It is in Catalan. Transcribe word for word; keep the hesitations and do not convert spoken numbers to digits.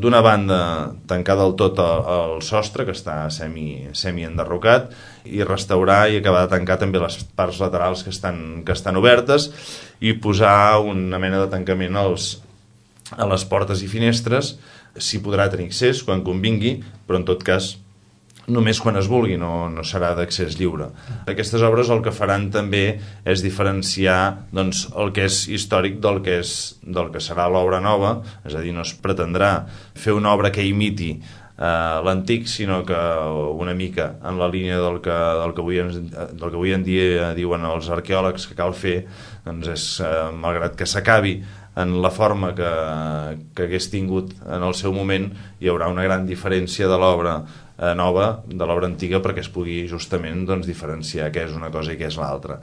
D'una banda, tancar del tot el, el sostre, que està semi, semi-enderrocat, i restaurar i acabar de tancar també les parts laterals que estan, que estan obertes, i posar una mena de tancament als, a les portes i finestres. S'hi podrà tenir accés quan convingui, però en tot cas només quan es vulgui, no, no serà d'accés lliure. Aquestes obres el que faran també és diferenciar doncs, el que és històric del que, és, del que serà l'obra nova, és a dir, no es pretendrà fer una obra que imiti eh, l'antic, sinó que una mica en la línia del que, del que, avui, del que avui en dia diuen els arqueòlegs que cal fer, doncs és, eh, malgrat que s'acabi en la forma que, que hagués tingut en el seu moment, hi haurà una gran diferència de l'obra eh, nova de l'obra antiga perquè es pugui justament doncs, diferenciar què és una cosa i què és l'altra.